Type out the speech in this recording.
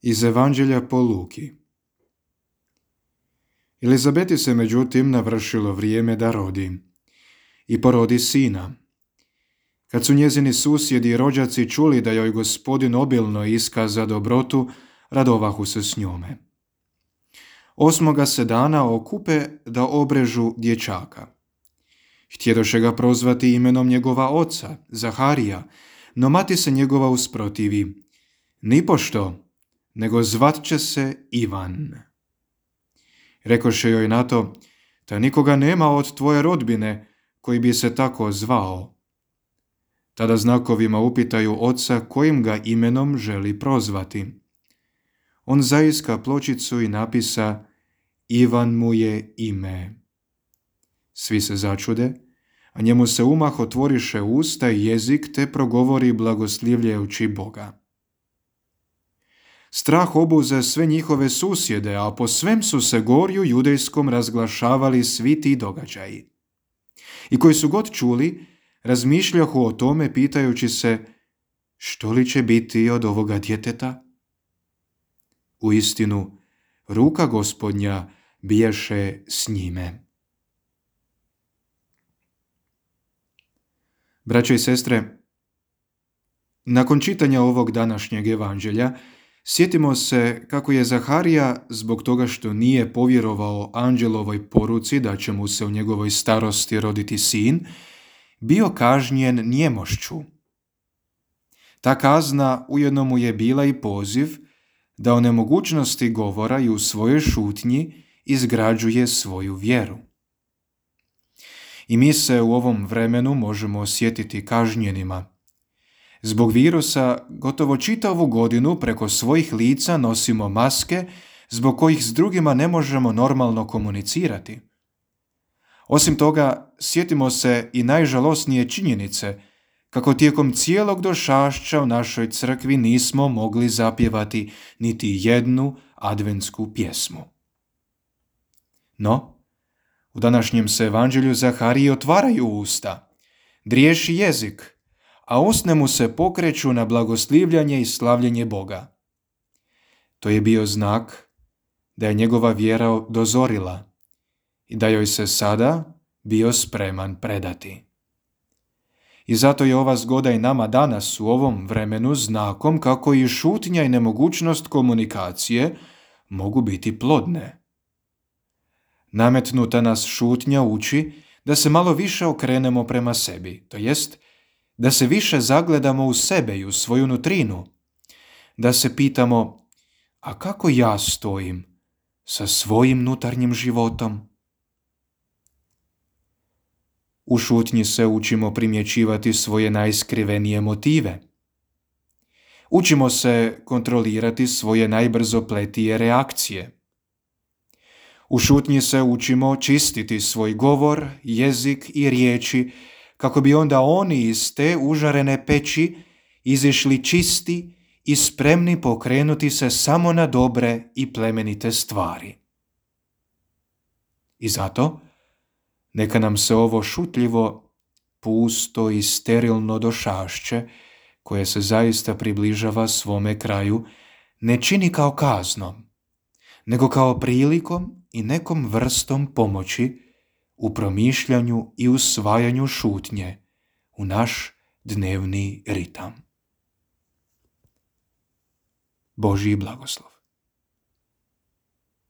Iz Evanđelja po Luki. Elizabeti se međutim navršilo vrijeme da rodi i porodi sina. Kad su njezini susjedi i rođaci čuli da joj Gospodin obilno iskaza dobrotu, radovahu se s njome. 8. se dana okupe da obrežu dječaka. Htjedoše ga prozvati imenom njegova oca, Zaharija, no mati se njegova usprotivi. Nipošto, nego zvat će se Ivan. Rekoše joj na to, da nikoga nema od tvoje rodbine koji bi se tako zvao. Tada znakovima upitaju oca kojim ga imenom želi prozvati. On zaiska pločicu i napisa Ivan mu je ime. Svi se začude, a njemu se umah otvoriše usta i jezik te progovori blagoslivljajući Boga. Strah obuze sve njihove susjede, a po svem su se gorju judejskom razglašavali svi ti događaji. I koji su god čuli, razmišljahu o tome pitajući se što li će biti od ovoga djeteta? Uistinu, ruka Gospodnja biješe s njime. Braćo i sestre, nakon čitanja ovog današnjeg evanđelja, sjetimo se kako je Zaharija, zbog toga što nije povjerovao anđelovoj poruci da će mu se u njegovoj starosti roditi sin, bio kažnjen njemošću. Ta kazna ujedno mu je bila i poziv da o nemogućnosti govora i u svojoj šutnji izgrađuje svoju vjeru. I mi se u ovom vremenu možemo osjetiti kažnjenima. Zbog virusa gotovo čitavu godinu preko svojih lica nosimo maske zbog kojih s drugima ne možemo normalno komunicirati. Osim toga, sjetimo se i najžalosnije činjenice kako tijekom cijelog došašća u našoj crkvi nismo mogli zapjevati niti jednu adventsku pjesmu. No, u današnjem se evanđelju Zahariji otvaraju usta, driješi jezik, a usne mu se pokreću na blagoslivljanje i slavljenje Boga. To je bio znak da je njegova vjera dozorila i da joj se sada bio spreman predati. I zato je ova zgoda i nama danas u ovom vremenu znakom kako i šutnja i nemogućnost komunikacije mogu biti plodne. Nametnuta nas šutnja uči da se malo više okrenemo prema sebi, to jest da se više zagledamo u sebe i u svoju nutrinu, da se pitamo, a kako ja stojim sa svojim unutarnjim životom? U šutnji se učimo primjećivati svoje najskrivenije motive. Učimo se kontrolirati svoje najbrzopletije reakcije. U šutnji se učimo čistiti svoj govor, jezik i riječi, kako bi onda oni iz te užarene peći izišli čisti i spremni pokrenuti se samo na dobre i plemenite stvari. I zato, neka nam se ovo šutljivo, pusto i sterilno došašće, koje se zaista približava svome kraju, ne čini kao kaznom, nego kao prilikom i nekom vrstom pomoći u promišljanju i usvajanju šutnje u naš dnevni ritam. Božji blagoslov.